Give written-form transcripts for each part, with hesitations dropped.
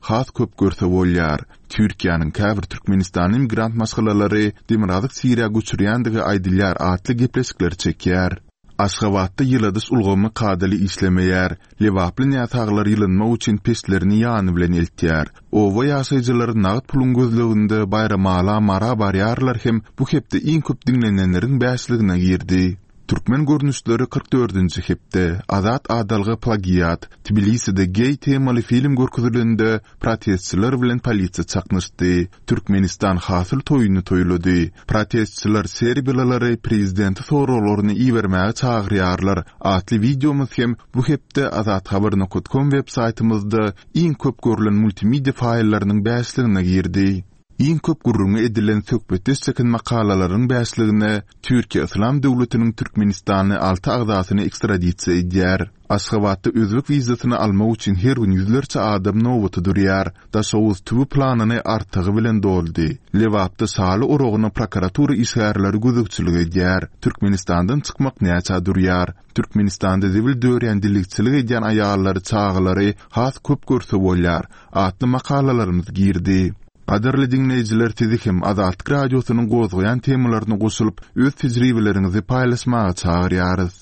Has köp görse bolýar. Türkiýäniň käbir türkmenistanly migrant maşgalalary Demirgazyk Siriýa göçürýändigi aýdylýar atly gepleşikleri çekýär. Aşgabatda ýyladyş ulgamy kadaly işlemeýär. Lebaply näsaglar ýylynmak üçin peçlerini ýany bilen eltýär. Oba ýaşaýjylary nagt puluň gözleginde Baýramala, Mara barýarlar hem bu hepde iň köp diňlenenleriň bäşligine girdi. Türkmen görnüşleri 44-nji hepde, Azat adalga plagiat, Tbiliside geý temaly film görkezilende protestçiler bilen polisiýa çaknyşdy, Türkmenistan hasyl toýuny toýlady, protestçiler serbiýalylary prezidente soraglaryny ibermäge çagyrýarlar atly wideomyz hem bu hepde azathabar nokat kom web saýtymyzda iň köp görlen multimedia faýllarynyň bäşligine girdi. Iň köp gürrüňi edilen söhbetdeş çeken makalalaryň bäşligine Türkiýe Yslam döwletiniň türkmenistanly alty agzasyny ekstradisiýa edýär. Aşgabatda özbek wizasyny almak üçin her gün ýüzlerçe adam nobata durýar. Daşoguz tüwi planyny artygy bilen doldy. Lebapda şaly oragyna prokuratura işgärleri gözegçilik edýär. Türkmenistandan çykmak näçä durýar? Türkmenistanda zibil dörýän dilegçilik edýän aýallary, çagalary has köp görse bolýar. Atly makalalarymyz girdi. Gadyrly diňleýjiler sizi hem Azatlyk Radiosynyň gozgaýan temalaryna goşulyp, öz tejribeleriňizi paýlaşmaga çagyrýarys.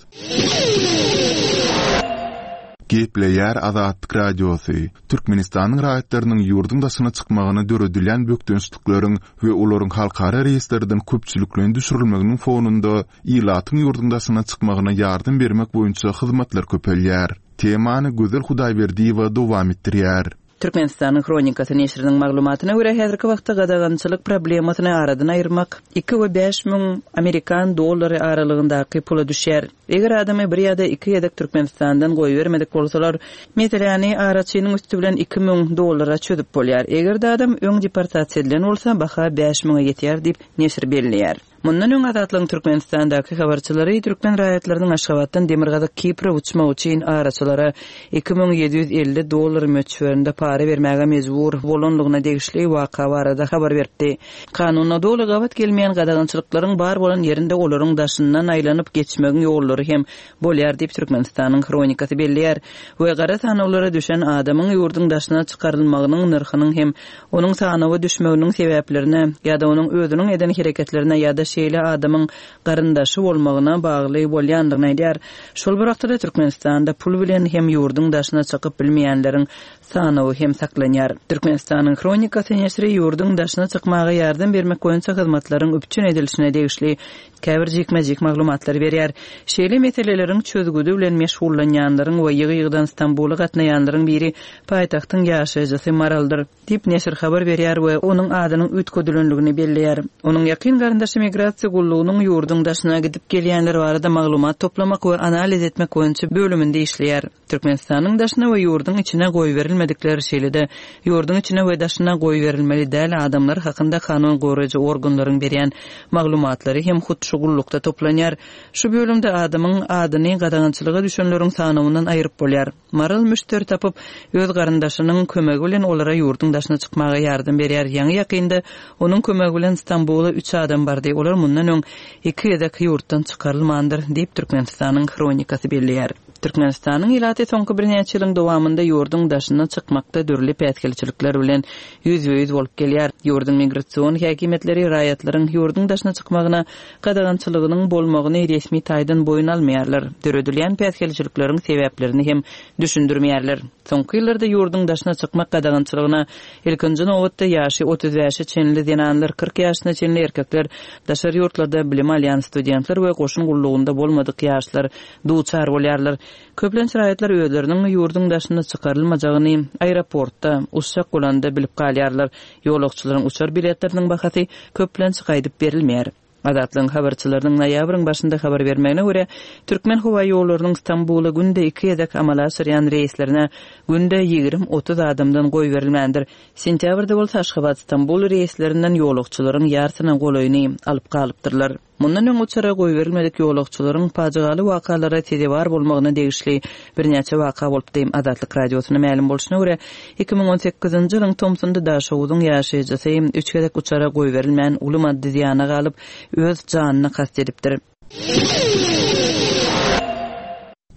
Gepleýär Azatlyk Radiosy, Türkmenistanyň raýatlarynyň ýurduň daşyna çykmagyna döredilýän bökdençlikleriň we olaryň halkara reýestrden köpçülikleýin düşürilmeginiň fonunda ilatyň ýurduň daşyna çykmagyna ýardam bermek boýunça hyzmatlar köpelýär. Temany Gözel Hudaýberdiýewa dowam etdirýär. Türkmenistanyň Hronikasy neşiriniň maglumatyna görä, häzirki wagtda gadagançylyk problemasyny aradan aýyrmak iki we 5000 amerikan dollary aralygyndaky pula düşýär. Eger adamy bir ýa-da iki gezek Türkmenistandan goýbermedik bolsalar, meseläni araçynyň üsti bilen 2000 dollara çözüp bolýar. Eger-de adam öň deportasiýa edilen bolsa, baha 5000-e ýetýär diýip, neşir belleýär. Mundan öň Azatlygyň Türkmenistandaky habarçylary türkmen raýatlarynyň Aşgabatdan Demirgazyk Kipre uçmak üçin araçylara 2750 dollar möçberinde para bermäge mejbur bolandygyna degişli waka barada habar beripdi. Kanuna doly gabat gelmeýän gadagançylyklaryň bar bolan ýerinde olaryň daşyndan aýlanyp geçmegiň ýollary hem bolýar diýip, Türkmenistanyň Hronikasy belleýär we gara sanawlara düşen adamyň ýurduň daşyna çykarylmagynyň nyrhynyň hem onuň sanawa düşmeginiň sebäplerine ýa-da onuň özüniň eden hereketlerine ýa-da şeýle adamyň garyndaşy bolmagyna bagly bolýandygyny aýdýar. Şol bir wagtda-da Türkmenistanda pul bilen hem ýurduň daşyna çykyp bilmeýänleriň sanawy hem saklanýar. Türkmenistanyň Hronikasy neşiri ýurduň daşyna çykmaga ýardam bermek boýunça hyzmatlaryň üpjün edilişine degişli käbir jikme-jik maglumatlary berýär. Şeýle meseleleriň çözgüdi bilen meşgullanýanlaryň we ýygy-ýygydan Stambula gatnaýanlaryň biri paýtagtyň ýaşaýjysy Maraldyr, diýip, neşir habar berýär we onuň adynyň üýtgedilendigini belleýär. Onuň ýakyn garyndaşy migrasiýa gullugynyň ýurduň daşyna gidip gelýänler barada maglumat toplamak we analiz etmek boýunça bölüminde işleýär. Türkmenistanyň daşyna we ýurduň içine goýberilmedikler, şeýle-de ýurduň içine we daşyna goýberilmeli däl adamlar hakynda kanun goraýjy organlaryň berýän maglumatlary hem hut şu gullukda toplanýar. Şu bölümde adamyň adyny gadagançylyga düşenleriň sanawyndan aýryp bolýar. Maral müşderi tapyp, öz garyndaşynyň kömegi bilen olara ýurduň daşyna çykmaga ýardam berýär. Ýaňy-ýakynda onuň kömegi bilen Stambula üç adam bardy. Olar mundan öň iki gezek ýurtdan çykarylmandyr, diýip, Türkmenistanyň Hronikasy belleýär. Türkmenistanyň ilaty soňky birnäçe ýylyň dowamynda ýurduň daşyna çykmakda dürli päsgelçilikler bilen ýüzbe-ýüz bolup gelýär. Ýurduň migrasion häkimiýetleri raýatlaryň ýurduň daşyna çykmagyna gadagançylygynyň bolmagyny resmi taýdan boýun almaýarlar, döredilýän päsgelçilikleriň sebäplerini hem düşündirmeýärler. Soňky ýyllarda ýurduň daşyna çykmak gadagançylygyna ilkinji nobatda ýaşy 35-e çenli zenanlar, 40 ýaşyna çenli erkekler, daşary ýurtlarda bilim alýan studentler we goşun gullugynda bolmadyk ýaşlar duçar bolýarlar. Köplenç raýatlar özleriniň ýurduň daşyna çykarylmajagyny aeroportda, uçjak bolanda bilip galýarlar. Ýolagçylaryň uçar biletleriniň bahasy köplenç gaýdyp berilmeýär. Azatlygyň habarçylarynyň noýabryň başynda habar bermegine görä, Türkmenhowaýollarynyň Stambula günde iki gezek amala aşyrýan reýslerine günde 20-30 adamdan goýberilmändir. Sentýabrda bolsa Aşgabat-Stambul reýslerinden ýolagçylaryň ýarsyna golaýyny alyp galypdyrlar. Mundan öň uçara goýberilmedik ýolagçylaryň pajygaly wakalara sezewar bolmagyna degişli birnäçe waka bolupdy. Azatlyk Radiosyna mälim bolşuna görä, 2018-nji ýylyň tomsunda Daşoguzyň ýaşaýjysy üç gezek uçara goýberilmän, uly maddy zyýana galyp, öz janyna kast edipdir.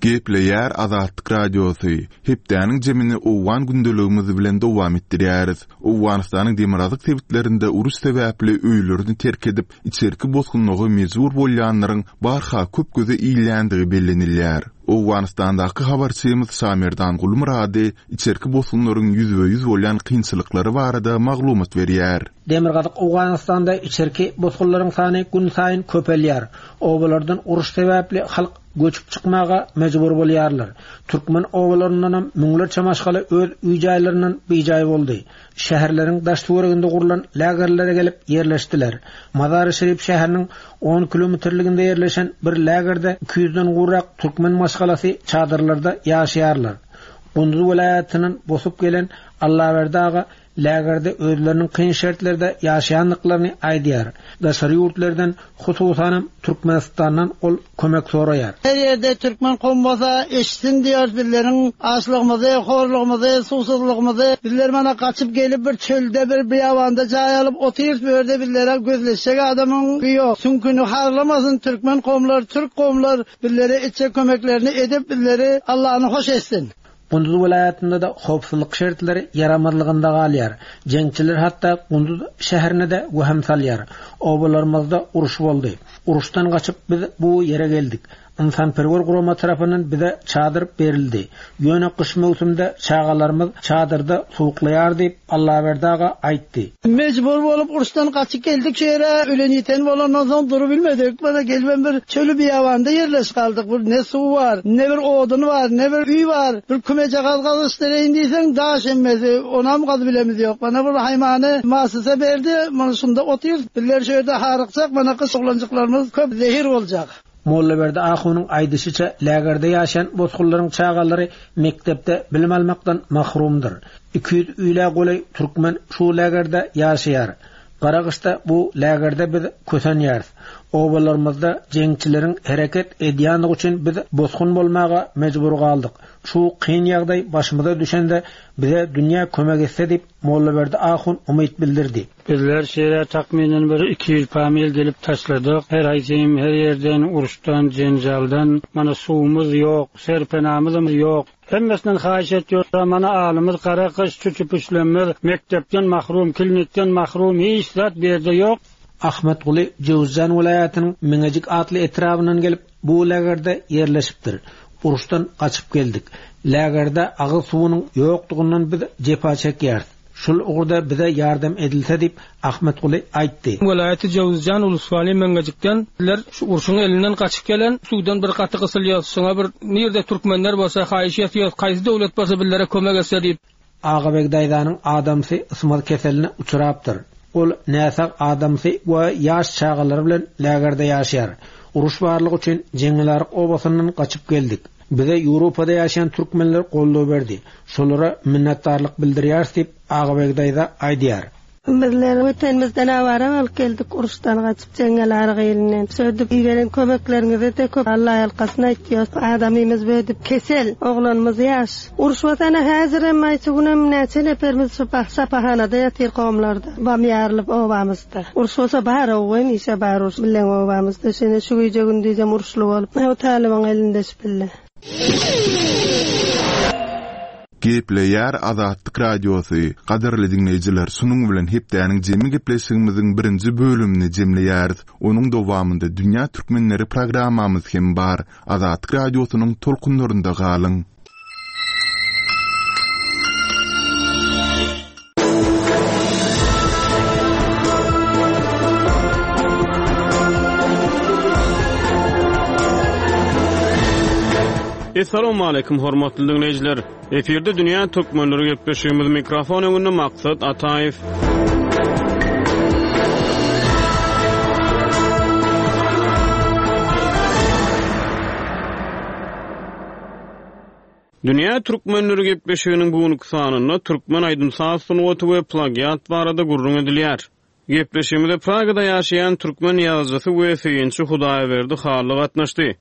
Gepleýär Azatlyk Radiosy, Hepdäniň jemini owgan gündeligimiz bilen dowam etdirýäris. Owganystanyň demirgazyk sebitlerinde uruş sebäpli öýlerini terk edip, içerki bosgunlyga mejbur bolýanlaryň barha köp göze ilýändigi bellenilýär. Owganystandaky habarçymyz Şamerdan Gulmyrady içerki bosgunlaryň ýüzbe-ýüz bolýan kynçylyklary barada maglumat berýär. Demirgazyk Owganystanda içerki bosgunlaryň sany günsaýyn köpelýär. Obalardan uruş sebäpli halk göçüp çykmaga mejbur bolýarlar. Türkmen obalaryndanam müňlerçe maşgala öz öý-jaýlaryndan bijaý boldy. Şäherleriň daş-töwereginde gurlan lagerlere gelip ýerleşdiler. Mazary-Şerif şäheriniň on kilometrliginde ýerleşen bir lagerde iki ýüzden gowrak türkmen maşgalasy çadyrlarda ýaşaýarlar. Gunduz welaýatyndan bosup gelen Allaberdi aga lagerde özleriniň kyn şertlerde ýaşaýandyklaryny aýdýar. Daşary ýurtlardan, hususanam Türkmenistandan ol kömek soraýar. Her ýerde türkmen kowum bolsa eşitsin diýýäris bizleriň açlygymyzy, horlugymyzy, suwsuzlygymyzy. Bizler mana gaçyp gelip bir çölde bir beýabanda jaý alyp otyrys bu ýerde bizlere gözleşjek adamyň ýok. Süňküni harlamasyn türkmen kowumlar, türk kowumlar bizlere etjek kömeklerini edip bizleri Allany hoş etsin. Gunduz welaýatynda-da howpsuzlyk şertleri ýaramazlygynda galýar. Jeňçiler hatda Gunduz şäherine-de wehim salýar. Obalarymyzda uruş boldy. Uruşdan gaçyp biz bu ýere geldik. Ynsanperwer gurama tarapyndan bize çadyr berildi. Ýöne gyş möwsümde çagalarymyz çadyrda sowuklaýar diýip, Allaberdi aga aýtdy. Mejbur bolup uruşdan gaçyp geldik şu ýere, ölen-ýiten bolandan soň durubilmedik. Mana gelibem bir çöli beýabanda ýerleşip galdyk. Bir ne suw bar, ne bir odun bar, ne bir öý bar. Bir kümejagaz gazyşdyraýyn diýseň daş hemmesi, onam gazybilemiz ýok. Mana bir haýmany masysa berdi, mana şunda otyrys. Bizler şu ýerde harykjak, mana gyş oglanjyklarymyz köp zehir boljak. Mollaberdi ahunyň aýdyşyça, lägerde ýaşaýan bosgunlaryň çagalary mekdepde bilim almakdan mahrumdyr. 200 ýüle golaý türkmen şu lägerde ýaşaýar. Gara gyşda bu lägerde biz kösenýäris. Obalarymyzda jeňçileriň hereket edýändigi üçin biz bosgun bolmaga mejbur galdyk. Şu kyn ýagdaý başymyza düşende bize dünýä kömek etse diýip, Mollaberdi ahun umyt bildirdi. Bizler şeýle takmynan bir 200 pamil gelip taşladyk. Her haýsym her ýerden uruşdan, jenjaldan, mana suwumyz ýok, serpenamyzam ýok. Hemmesinden haýyş etýorda mana alymyz gara gyş çüçüpüşlemmiz mekdepden mahrum klinikden mahrum hiç zat bu ýerde ýok. Ahmetguly Jöwüzjan welaýatynyň Meňejik atly etrabyndan gelip, bu lagerde ýerleşipdir. Uruşdan gaçyp geldik. Lagerde agyz suwunyň ýokdugyndan biz jepa çekýäris. Şul ugurda bize ýardam edilse diýip, Ahmetguly aýtdy. Welaýaty Jöwüzjan Uluswali Meňňejikden bizler şu urşuň elinden gaçyp gelen suwdan bir gaty gysylýas şuňa bir nirde türkmenler bolsa haýyş etýos kaýsy döwlet bolsa bizlere kömek etse diýip. Agabeg daýzanyň adamsy ysmaz keseline uçrapdyr. Ol näsag adamsy we ýaş çagalary bilen lägerde ýaşaýar. Uruş barlygy üçin Jeňňelaryk obasyndan gaçyp geldik. Bize Ýewropada ýaşaýan türkmenler goldaw berdi. Şolara minnetdarlyk bildirýäris diýip, Agabeg daýza aýdýar. Bizler Wetenimizden awara bolup geldik, uruşdan gaçyp, jeňňelaryk ilinden. Şöýdüp iberen kömekleriňize-de köp Alla ýalkasyn aýtýas. Adamymyz böýdüp kesel, oglanymyz ýaş. Uruş bolsa-na häzirem, aýçy günem näçe neperimiz şu şypahanada ýatyr gomlarda, bam ýarylyp obamyzda. Uruş bolsa bar-ow, hemişe bar uruş bileň obamyzda. Şeýle şu gije-gündizem uruşly bolup, bu talybyň elinde şu pille. Gepleýär Azatlyk Radiosy, Gadyrly diňleýjiler, şunuň bilen hepdäniň jemi gepleşigimiziň birinji bölümini jemleýäris. Onuň dowamynda Dünýä Türkmenleri programmamyz hem bar. Azatlyk Radiosynyň tolkunlarynda galyň! Assalamualaikum hormatly dinleýjiler. Efirde dünýä türkmenleri gepleşigimiz mikrofon öňünde Maksat Ataýew. Dünýä türkmenleri gepleşiginiň bu günki sanynda türkmen aýdym-saz sungaty we plagiat barada gürrüň edilýär. Gepleşigimize Pragada ýaşaýan türkmen ýazyjysy we synçy Hudaýberdi Hally gatnaşdy.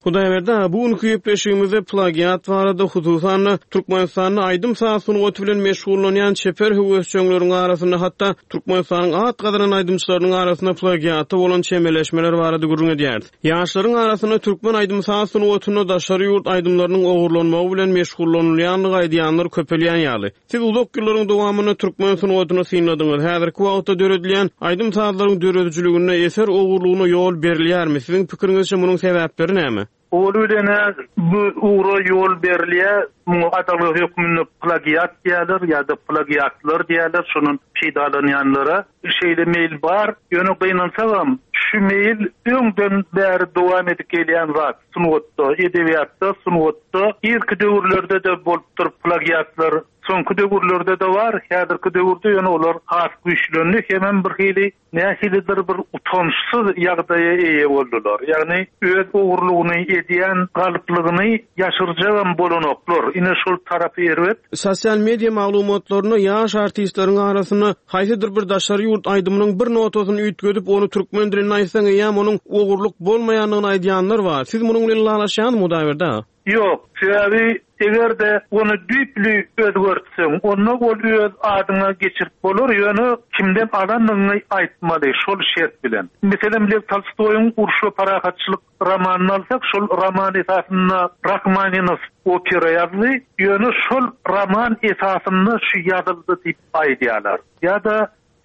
Hudaýberdi aga, bu günki gepleşigimizde plagiat barada, hususan-da, Türkmenistanda aýdym-saz sungaty bilen meşgullanýan çeper höwesjeňleriň arasynda, hatda Türkmenistanyň at gazanan aýdymçylarynyň arasynda plagiata bolan çemeleşmeler barada gürrüň edýäris. Ýaşlaryň arasynda türkmen aýdym-saz sungatynda daşary ýurt aýdymlarynyň ogurlanmagy bilen meşgullanylýandygy aýdýanlar köpelýän ýaly. Siz uzak ýyllaryň dowamynda türkmen sungatyny synladyňyz. Häzirki wagtda döredilýän aýdym-sazlaryň döredijiliginde eser ogurlygyna ýol berilýärmi? Siziň pikiriňizçe munuň sebäpleri näme? Owaly bilen-ä bu ugra ýol berilýär. Muňa adalga hökmünde plagiat diýýärler ýa-da plagiatlar diýýärler, şondan peýdalanýanlara. Şeýle meýil bar. Ýöne gynansagam, şu meýil öňden bäri dowam edip gelýän zat. Sungatda, edebiýatda, sungatda irki döwürlerde-de bolupdyr plagiatlar, soňky döwürlerde-de bar, häzirki döwürde ýöne olar has güýçlendi hemem bir hili nähilidir bir utançsyz ýagdaýa eýe boldular. Ýagny öz ogurlygyny edýän galyplygyny ýaşyrjagam bolanoklar. Ine şol tarapy erbet. Sosial media maglumatlarynda ýaş artistleriň arasynda haýsydyr bir daşary ýurt aýdymynyň bir notasyny üýtgedip, ony türkmen dilinde aýtsaň, eýýäm onuň ogurlyk bolmaýandygyny aýdýanlar bar. Siz munuň bilen ylalaşýaňyzmy, Hudaýberdi aga? Ýok. Sebäbi eger-de ony düýpli özgertseň, onda ol öz adyňa geçirip bolar, ýöne kimden alandygyňy aýtmaly, şol şert bilen. Meselem, Lew Tolstoýyň Uruş we parahatçylyk Romanyny alsak, şol roman esasynda Rahmaninow opera ýazdy, ýöne şol roman esasynda şu ýazyldy diýip aýdýarlar. Ýa-da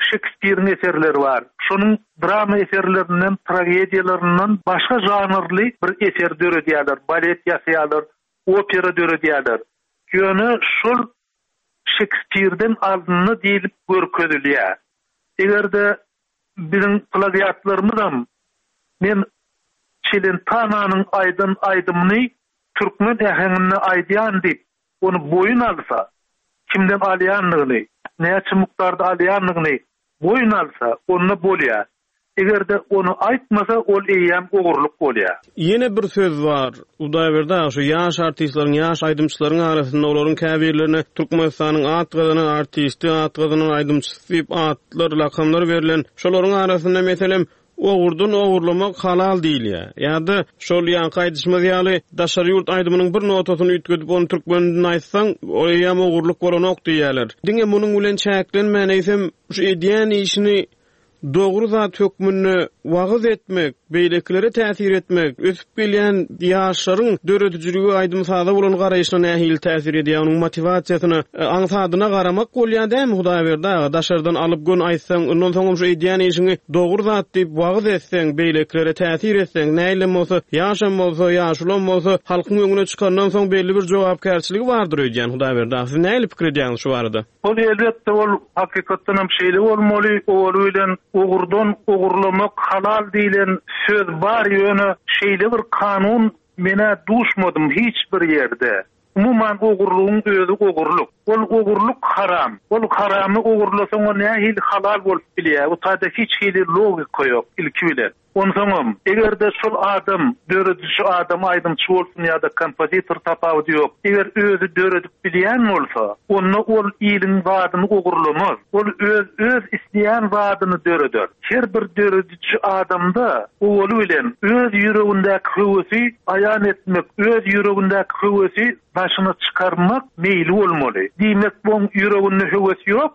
Şekspiriň eserleri bar. Şonuň drama eserlerinden, tragediýalaryndan başga žanrly bir eser döredýärler, balet ýasaýarlar, opera döredýärler. Ýöne şol Şekspirden alyndy diýlip görkezilýär. Eger-de Biziň plagiatlarymyzam men Çelentananyň aýdan aýdymyny türkmen äheňinde aýdýan diýip, ony boýun alsa, kimden alýandygyny, näçe mukdarda alýandygyny boýun alsa, onda bolýar. Eger-de ony aýtmasa, ol eýýäm ogurlyk bolýar. Ýene bir söz bar, Hudaýberdi aga, şu ýaş artistleriň, ýaş aýdymçylaryň arasynda olaryň käbirlerine Türkmenistanyň at gazanan artisti, at gazanan aýdymçysy diýip atlar, lakamlar berlen. Şolaryň arasynda, meselem, ogurdan ogurlamak halal diýilýär. Ýa-da şol ýaňky aýdyşymyz ýaly, daşary ýurt aýdymynyň bir notasyny üýtgedip, ony türkmen dilinde aýtsaň, ol eýýäm ogurlyk bolanok diýýärler. Diňe munuň bilen çäklenmän, eýsem, şu edýän işini Dogry zat hökmünde wagyz etmek, beýlekilere täsir etmek, ösüp gelýän ýaşlaryň döredijilige, aýdym-saza bolan garaýşyna nähili täsir edýär, onuň motiwasiýasyna, aňsadyna garamak bolýar dälmi, Hudaýberdi aga, daşardan alyp göni aýtsaň, ondan soňam şu edýän işiňi dogry zat diýip wagyz etseň, beýlekilere täsir etseň, nähilem bolsa, ýaşam bolsa, ýaşulam bolsa, halkyň öňüne çykandan soň belli bir jogapkärçiligi bardyr öýdýän, Hudaýberdi aga, siz nähili pikir edýäňiz şu barada? Ol elbetde ol hakykatdan hem şeýle bolmaly, owaly bilen ogurdan ogurlamak halal diýlen söz bar ýöne şeýle bir kanun menä duşmadym hiç bir ýerde. Umuman ogurlygyň özi ogurlyk. Ol ogurlyk haram. Ol haramy ogurlasaň o nähili halal bolup bilýär? Bu taýda hiç hili logika ýok ilki bilen. Onsoňam, eger-de şol adam, dörediji adam, aýdymçy bolsun ýa-da kompozitor tapawudy ýok, eger özi döredip bilýän bolsa, onda ol iliň zadyny ogurlamaz. Ol öz öz isleýän zadyny döreder. Her bir dörediji adamda owaly bilen öz ýüregindäki höwesi aýan etmek, öz ýüregindäki höwesi daşyna çykarmak meýli bolmaly. Diýmek, oň ýüreginde höwes ýok,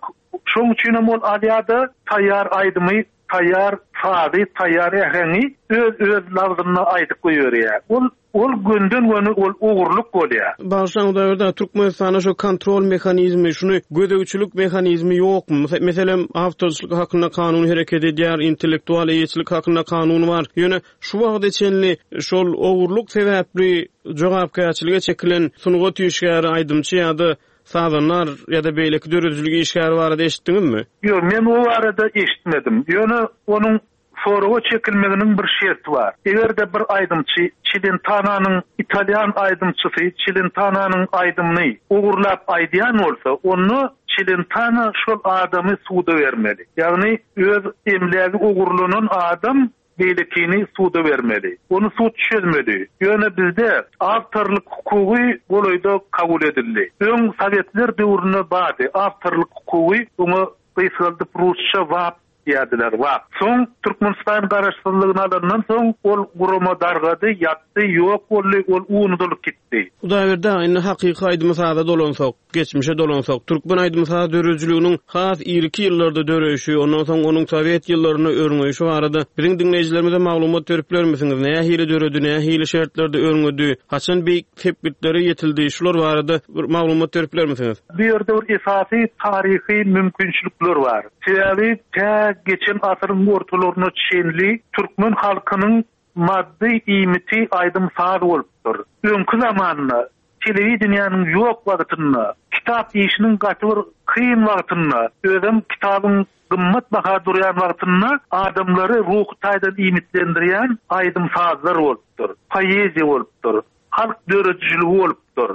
şoň üçinem ol alýar-da taýýar aýdymy Taýýar sazy, taýýar äheňi öz öz labzynda aýdyp goýberýär. Ol ol gönden-göni ol ogurlyk bolýar. Bagyşlaň Hudaýberdi aga, Türkmenistanda şu kontrol mehanizmi, şuny gözegçilik mehanizmi ýokmy? Meselem, awtorçylyk hakynda kanun hereket edýär, intellektual eýeçilik hakynda kanun bar. Ýöne şu wagta çenli şol ogurlyk sebäpli jogapkärçilige çekilen sungat işgäri, aýdymçy ýa-da Sazandar ýa-da beýleki döredijilik işgäri barada eşitdiňizmi? Ýok, men o barada eşitmedim. Ýöne onuň soraga çekilmeginiň bir şerti bar. Eger-de bir aýdymçy Çilentananyň italýan aýdymçysy Çilentananyň aýdymyny ogurlap aýdýan bolsa, onda Çilentana şol adamy suda bermeli. Ýagny öz emlägi ogurlanan adam beýlekini suda bermeli. Ony sud çözmeli. Ýöne bizde awtorlyk hukugy golaýda kabul edildi. Öň sowetler döwründe bardy awtorlyk hukugy, oňa gysgaldyp rusça wap. diýerdiler, WAK. Soň Türkmenistan garaşsyzlygyny alandan soň ol gurama dargady, ýatdy, ýok boldy, ol unudylyp gitdi. Hudaýberdi aga, indi hakyky aýdym-saza dolansak, geçmişe dolansak, türkmen aýdym-saz döredijiliginiň has irki ýyllarda döreýşi, ondan soň onuň sowet ýyllarynda örňeýşi barada biziň diňleýjilerimize maglumat berip bilermisiňiz? Nähili döredi, nähili şertlerde örňedi, haçan beýik sepgitlere ýetildi, şular barada bir maglumat berip bilermisiňiz? Bu ýerde bir esasy taryhy mümkinçilikler bar. Sebäbi tä geçen asyryň ortalaryna çenli türkmen halkynyň maddy iýmiti aýdym-saz bolupdyr. Öňki zamanda, telewideniýäniň ýok wagtynda, kitap işiniň gaty bir kyn wagtynda, özem kitabyň gymmat baha durýan wagtynda adamlary ruhy taýdan iýmitlendirýän aýdym-sazlar bolupdyr, poeziýa bolupdyr. Halk döredijiligi bolupdyr.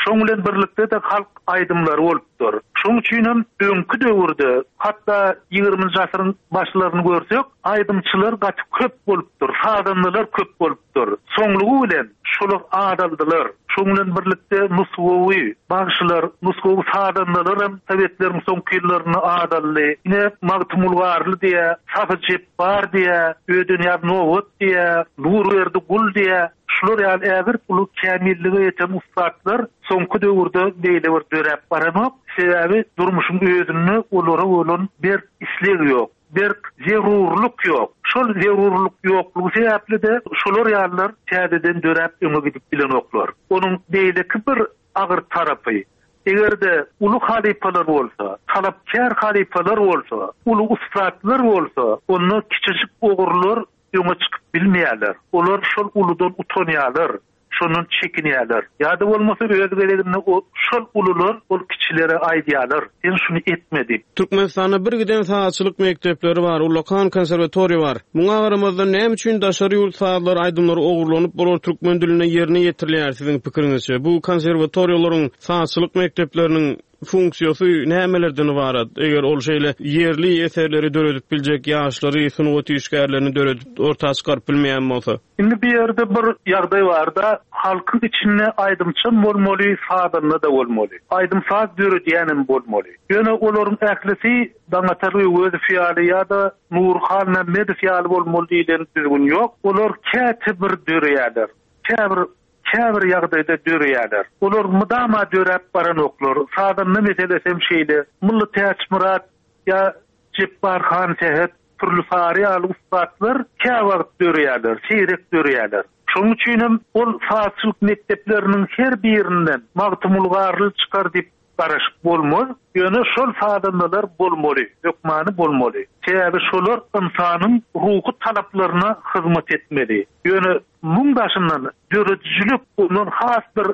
Şoň bilen birlikde-de halk aýdymlary bolupdyr. Şoň üçinem öňki döwürde, hatda ýigriminji asyryň başlaryny görsek, aýdymçylar gaty köp bolupdyr, sazandalar köp bolupdyr. Soňlugy bilen şolar azaldylar. Şoň bilen birlikde nusgawy bagşylar, nusgawy sazandalaram sowetleriň soňky ýyllarynda azaldy. Ine, Magtymguly Garly diýýä, Sahy Jepbar diýýä, Ödenýaz Nobat diýýä, Nurberdi Gul diýýä. Şular ýaly ägirt uly kämillige ýeten ussatlar soňky döwürde beýle bir döräp baranok. Sebäbi durmuşyň özünde olara bolan berk isleg ýok, berk zerurlyk ýok. Şol zerurlyk ýoklugy sebäpli-de şolar ýalylar täzeden döräp öňe gidip bilenoklar. Onuň beýleki bir agyr tarapy, eger-de uly halypalar bolsa, talapkär halypalar bolsa, uly ussatlar bolsa, onda kiçijik ogrular öňe çykyp bilmeýärler. Olar şol uludan utanýarlar, şondan çekinýärler. Ýa-da bolmasa öz gezeginde o şol ulular ol kiçilere aýdýarlar, sen şuny etme diýip. Türkmenistanda birgiden sazçylyk mekdepleri bar, ullakan konserwatoriýa bar. Muňa garamazdan näme üçin daşary ýurt sazlary, aýdymlary ogurlanyp olar türkmen dilinde ýerine ýetirilýär siziň pikiriňizçe? Bu konserwatoriýalaryň, sazçylyk mekdepleriniň funksiýasy nämelerden ybarat? Eger ol şeýle ýerli eserleri döredip biljek ýaşlary, sungat işgärlerini döredip, orta çykaryp bilmeýän bolsa? Indi bu ýerde bir ýagdaý bar-da, halkyň içinde aýdymçam bolmaly, sazanda-da bolmaly. Aýdym-saz döredýänem bolmaly. Ýöne olaryň ählisi Daňatar Öwezow ýaly ýa-da Nury Halmämmedow ýaly bolmaly diýlen düzgün ýok. Olar käte bir döreýärler. Käbir Käbir ýagdaýda döreýärler. Olar mydama döräp baranoklar. Sazanda meselesi hem şeýle. Mylly Täçmyrat ýa Jepbar Hansähet, Pürli Sary ýaly ussatlar käwagt döreýärler, seýrek döreýärler. Şonuň üçin hem ol sazçylyk mekdepleriniň her birinden Magtymguly Garly çykar diýip garaşyp bolmaz. Ýöne şol sazandalar bolmaly, hökmany bolmaly. Sebäbi şolar ynsanyň ruhy talaplaryna hyzmat etmeli. Ýöne muň daşyndan döredijilik ondan has bir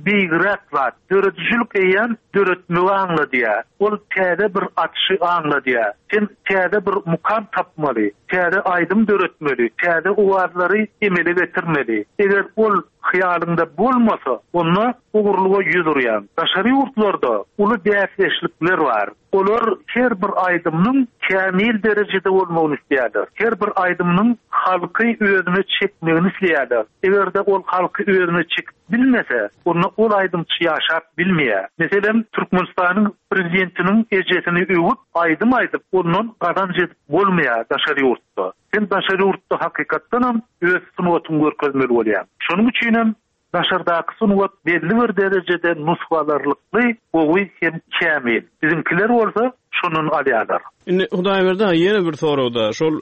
beýigräk zat. Döredijilik eýýäm döretmegi aňladýar. Ol täze bir açyşy aňladýar. Sen täze bir mukam tapmaly, täze aýdym döretmeli, täze owazlary emele getirmeli. Eger ol hyýalyňda bolmasa, onda ogurlyga ýüz urýaň. Daşary ýurtlarda uly bäsdeşlikler bar. Olar her bir aýdymyň kämil derejede bolmagyny isleýärler. Her bir aýdymyň halky özüne çekmegini isleýärler. Eger-de ol halky özüne çekip bilmese, onda ol aýdymçy ýaşap bilmeýär. Meselem, Türkmenistanyň Prezidentiniň ejesini öwüp, aýdym aýdyp, ondan gazanç edip bolmaýar daşary ýurtda. Sen daşary ýurtda hakykatdanam öz sungatyňy görkezmeli bolýaň. Şonuň üçinem daşardaky sungat belli bir derejede nusgalarlykly, gowy hem kämil. Biziňkiler bolsa şondan alýarlar. Indi Hudaýberdi aga ýene bir soragda, şol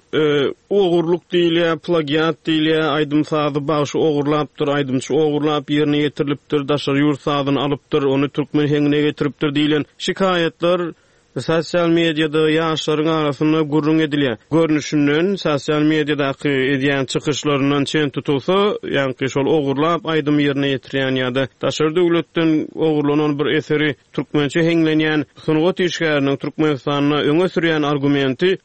ogurlyk diýilýär, plagiat diýilýär, aýdym-sazy bagşy ogurlapdyr, aýdymçy ogurlap ýerine ýetirilipdir, daşary ýurt sazyny alypdyr, ony türkmen heňine getiripdir diýlen şikaýatlar Sosial mediada ýaşlaryň arasynda gürrüň edilýär. Görnüşinden, sosial mediadaky edýän çykyşlaryndan çen tutulsa, ýaňky şol ogurlap aýdym ýerine ýetirýän ýa-da daşary döwletden ogurlanan bir eseri türkmençe heňlenýän sungat işgäriniň Türkmenistanda öňe sürýän argumenti,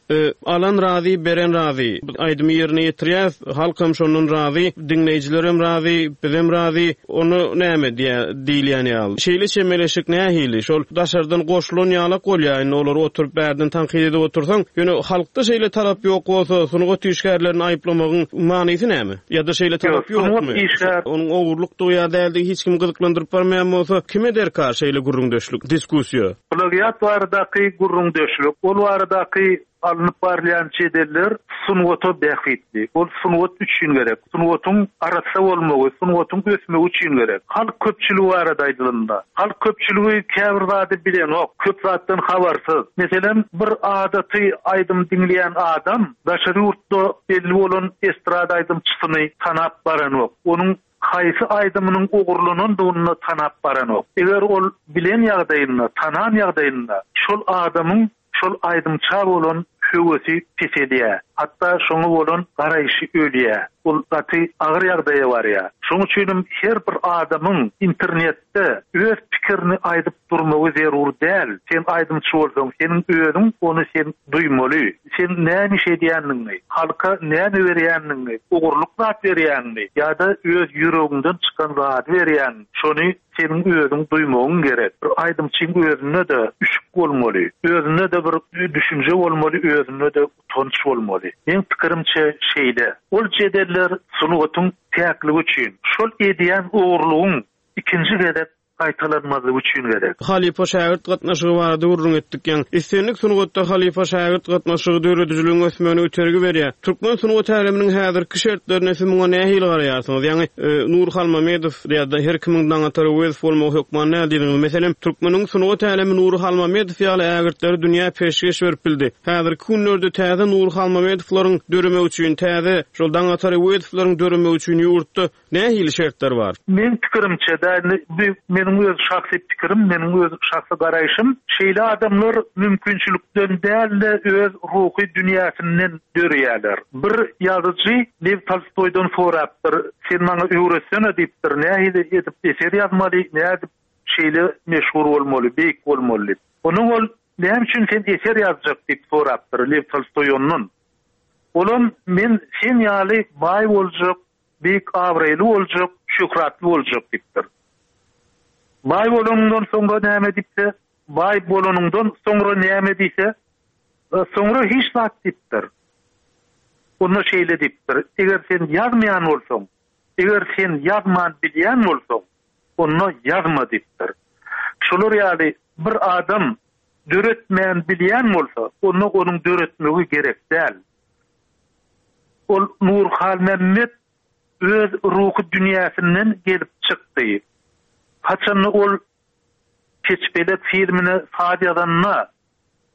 Alan razy, beren razy. Biz aýdymy ýerine ýetirýäs, halkam şondan razy, diňleýjilerem razy, bizem razy. Onda näme diýýä, diýilýän ýaly. Şeýle çemeleşik nähili? Şol daşardan goşulan ýalak bolýa, indi olary oturyp bärden tankyt edip otursaň, ýöne halkda şeýle talap ýok bolsa, sungat işgärlerini aýyplamagyň manysy näme? Ýa-da şeýle talap ýokmy? Onuň ogurlykdygy ýa däldigi hiç kimi gyzyklandyryp barmaýan bolsa, kime derkar şeýle gürrüňdeşlik, diskussiýa? Plagiat baradaky gürrüňdeşlik, ol baradaky. Alnyp barylýan jedeller sungata bähbitli. Ol sungat üçin gerek. Sungatyň arassa bolmagy, sungatyň ösmegi üçin gerek. Halk köpçüligi barada aýdylanda, halk köpçüligi käbir zady bilenok, köp zatdan habarsyz. Meselem, bir adaty aýdym diňleýän adam daşary ýurtda belli bolan estrada aýdymçysyny tanap baranok. Onuň haýsy aýdymynyň ogurlanandygyny-da tanap baranok. Eger ol bilen ýagdaýynda, tanan ýagdaýynda şol adamyň şol aýdymça bolan höwesi peselýär. Hatda şoňa bolan garaýşy ölýär. Ol gaty agyr ýagdaýa barýar. Şonuň üçinem her bir adamyň internetde öz pikirini aýdyp durmagy zerur däl. Sen aýdymçy bolsaň, seniň özüň ony sen duýmaly. Sen näme iş edýändigiňi, halka näme berýändigiňi, ogurlyk zat berýäňmi ýa-da öz ýüregiňden çykan zady berýäňmi, şony seniň özüň duýmagyň gerek. Bir aýdymçyň özünde-de üşük bolmaly, özünde-de bir düşünje bolmaly, özünde-de utanç bolmaly. Meň pikirimçe şeýle. Ol jedeller sungatyň päkligi üçin, şol edýän ogurlygyň ikinji gezek gaýtalanmazlygy üçin gerek. Halypa-şägirt gatnaşygy barada gürrüň etdik ýaň. Islendik sungatda halypa-şägirt gatnaşygy döredijiligiň ösmegine itergi berýär. Türkmen sungat äleminiň häzirki şertlerinde siz muňa nähili garaýarsyňyz? Ýaňy Nury Halmamedow ýa-da her kimiň Daňatar Öwezow bolmagy hökman däl diýdiňiz. Meselem, türkmeniň sungat älemi Nury Halmamedow ýaly ägirtleri dünýä peşgeş berip bildi. Häzirki günlerde täze Nury Halmamedowlaryň döremegi üçin, täze şol Daňatar Öwezowlaryň döremegi üçin ýurtda Nähili şertler bar? Meň pikirimçe-de, indi bu meniň öz şahsy pikirim, meniň öz şahsy garaýşym, şeýle adamlar mümkinçilikden däl-de, öz ruhy dünýäsinden döreýärler. Bir ýazyjy Lew Tolstoýdan sorapdyr, Sen maňa öwretsene diýipdir, nähili edip eser ýazmaly, nädip şeýle meşhur bolmaly, beýik bolmaly diýip. Ondan ol, Näme üçin sen eser ýazjak diýip sorapdyr Lew Tolstoý ondan. Olam, Men sen ýaly baý boljak, Beýik abraýly boljak, şöhratly boljak diýipdir. Baý bolanyňdan soňra näme diýipse, baý bolanyňdan soňra näme diýse, soňra hiç zat diýipdir. Onda şeýle diýipdir, eger sen ýazmaýan bolsaň, eger sen ýazman bilýän bolsaň, onda ýazma diýipdir. Şolar ýaly bir adam döretmän bilýän bolsa, onda onuň döretmegi gerek däl. Ol Nury Halmämmet öz ruhy dünýäsinden gelip çykdy. Haçanda ol Keçpelek filmine saz ýazanda,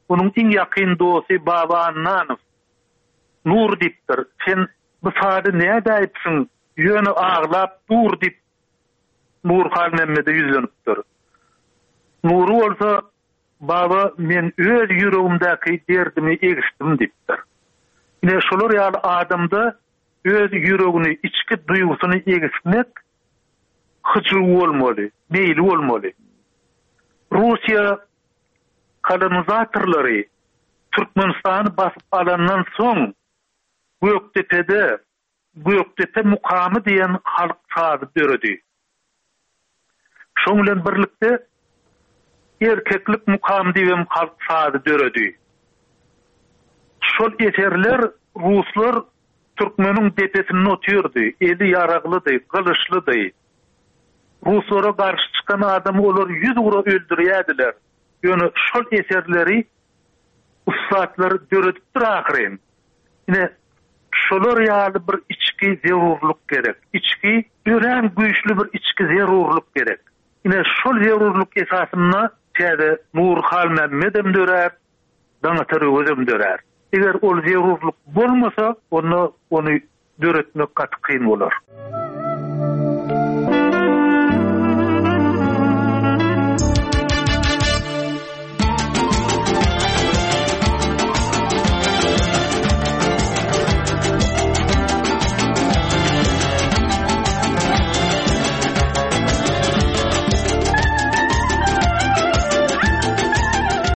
onuň iň ýakyn dosty Baba Annanow, Nury diýipdir, sen bu sazy nädäýipsiň, ýöne aglap dur diýip, Nury Halmämmede ýüzlenipdir. Nury bolsa, Baba, men öz ýüregimdäki derdimi egisdim diýipdir. Ine, şolar ýaly adamda öz ýüregini, içki duýgusyny egismek hyjuwy bolmaly, meýli bolmaly. Russiýa kolonizatorlary Türkmenistany basyp alandan soň Gökdepede Gökdepe mukamy diýen halk sazy döredi. Şoň bilen birlikde Erkeklik mukamy diýibem halk sazy döredi. Şol eserler ruslar türkmeniň depesinde otyrdy, eli ýaraglydy, gylyçlydy. Ruslara garşy çykan adamy olar ýüzugra öldürýärdiler. Ýöne şol eserleri ussatlar döredipdir ahyryn. Ine, şolar ýaly bir içki zerurlyk gerek. Içki, örän güýçli bir içki zerurlyk gerek. Ine, şol zerurlyk esasynda täze Nury Halmämmedem dörär, Daňatar Öwezem dörär. Eger ol zerurlyk bolmasa, onda ony döretmek gaty kyn bolar.